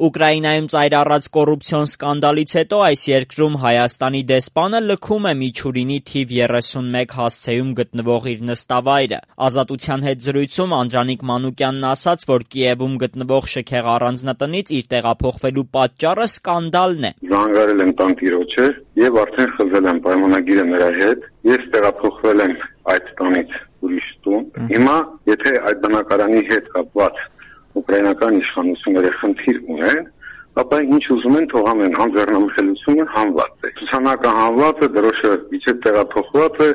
Ուկրաինայում ծայր առած կոռուպցիոն սկանդալից հետո այս երկրում Հայաստանի դեսպանը լքում է Միչուրինի թիվ 31 հասցեում գտնվող իր նստավայրը։ Ազատության հետ զրույցում Անդրանիկ Մանուկյանն ասաց, որ Կիևում գտնվող շքեղ առանձնատնից իր տեղափոխվելու պատճառը սկանդալն է։ Զանգարել եմ տանտիրոջը եւ արդեն խզել եմ պայմանագիրը նրա հետ։ Ես տեղափոխվել եմ այդ տանից ուրիշ տուն։ Հիմա, եթե այդ բնակարանի հետ կապված ուկրաինական իշխանությունները խնդիր ունեն, ապա ինչ ուզում են թող անեն, անձեռնամխելիությունը հանված է։ Ցուցանակը հանված է, դրոշը իջե տեղափոխված է,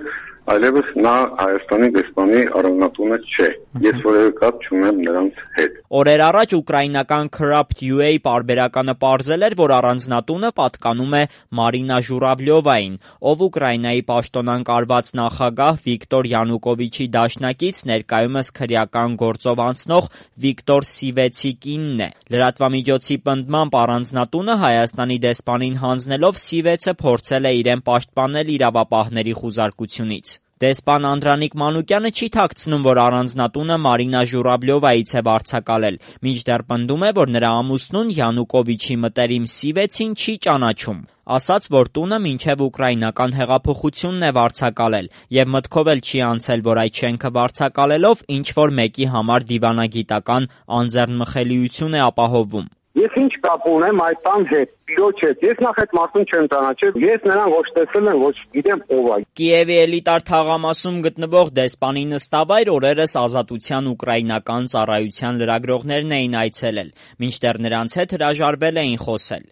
այլևս նա Հայաստանի դեսպանի առանձնատունը չէ։ Ես որևէ կապ չունեմ նրանց հետ։ Օրեր առաջ ուկրաինական Corrupt.ua պարբերականը պարզել էր, որ առանձնատունը պատկանում է Մարինա Ժուրավլյովային, ով Ուկրաինայի պաշտոնակարված նախագահ Վիկտոր Յանուկովիչի դաշնակից, ներկայումս քրեական գործով անցնող Վիկտոր Սիվեցի կինն է։ Լրատվամիջոցի պնդմամբ առանձնատունը Հայաստանի դեսպանին հանձնելով Սիվեցը փորձել է իրեն պաշտպանել իրավապահների խուզարկությունից։ Դեսպան Անդրանիկ Մանուկյանը չի թաքցնում, որ առանձնատունը Մարինա Ժուրավլյովայից է վարձակալել, մինչդեռ պնդում է, որ նրա ամուսնուն Յանուկովիչի մտերիմ Սիվեցին չի ճանաչում։ Ասաց, որ տունը մինչև ուկրաինական հեղափոխությունն է վարձակալել եւ մտքով էլ չի անցել, որ այդ շենքը վարձակալելով ինչ-որ մեկի համար դիվանագիտական անձեռնմխելիություն է ապահովում։ Ես ինչ կապ ունեմ այդ տան հետ, տիրոջ հետ։ Ես նախ այդ մարդուն չեմ ճանաչել, ես նրան ոչ տեսել եմ, ոչ գիտեմ ով է։ Կիևի էլիտար թաղամասում գտնվող դեսպանի նստավայր օրերս Ազատության ուկրաինական ծառայության լրագրողներն էին այցելել, մինչդեռ նրանց հետ հրաժարվել էին խոսել։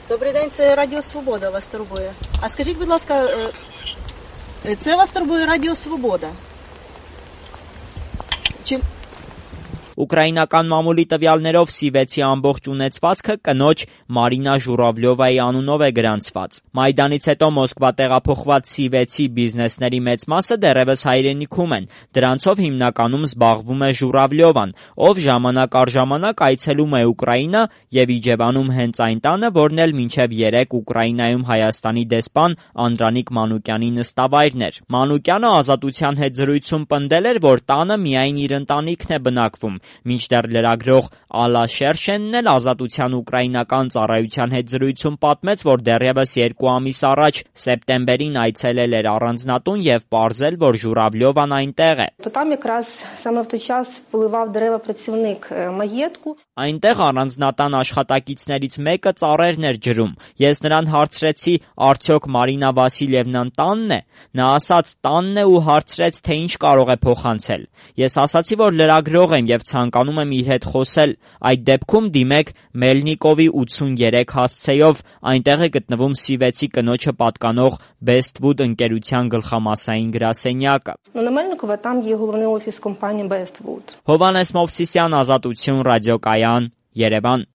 Добрий день, це Радіо Свобода вас турбує. А скажіть, будь ласка, це вас турбує Радіо Свобода? Чи Ուկրաինական մամուլի տվյալներով Սիվեցի ամբողջ ունեցվածքը կնոջ Մարինա Ժուրավլյովայի անունով է գրանցված։ Մայդանից հետո Մոսկվա տեղափոխված Սիվեցի բիզնեսների մեծ մասը դեռևս հայրենիքում են։ Դրանցով հիմնականում զբաղվում է Ժուրավլյովան, ով ժամանակ առ ժամանակ այցելում է Ուկրաինա եւ իջևանում հենց այն տանը, որն էլ մինչեւ 3 Ուկրաինայում Հայաստանի դեսպան Անդրանիկ Մանուկյանի նստավայրն էր։ Մանուկյանը Ազատության հետ զրույցում պնդել էր, որ տանը միայն իր ընտանիքն է բնակվում, մինչդեռ լրագրող Ալա Շերշենն էլ Ազատության ուկրաինական ծառայության հետ զրույցում պատմեց, որ դեռևս 2 ամիս առաջ սեպտեմբերին այցելել էր առանձնատուն եւ պարզել, որ Ժուրավլյովան այնտեղ է։ Там якраз саме в той час поливав дерева працівник маєтку. Այնտեղ առանձնատան աշխատակիցներից մեկը ծառերն էր ջրում։ Ես նրան հարցրեցի, արդյոք Մարինա Վասիլևնան տանն է։ Նա ասաց տանն է ու հարցրեց, թե ինչ կարող է փոխանցել։ Ես ասացի, որ լրագրող եմ եւ ցանկանում եմ իր հետ խոսել։ Այդ դեպքում դիմեք Մելնիկովի 83 հասցեով, այնտեղ է գտնվում Սիվեցի կնոջը պատկանող Bestwood ընկերության գլխամասային գրասենյակը։ На Мельникова там є головний офіс компанії Bestwood. Հովհաննես Մովսիսյան, Ազատություն, ռադիոկայան, Երևան։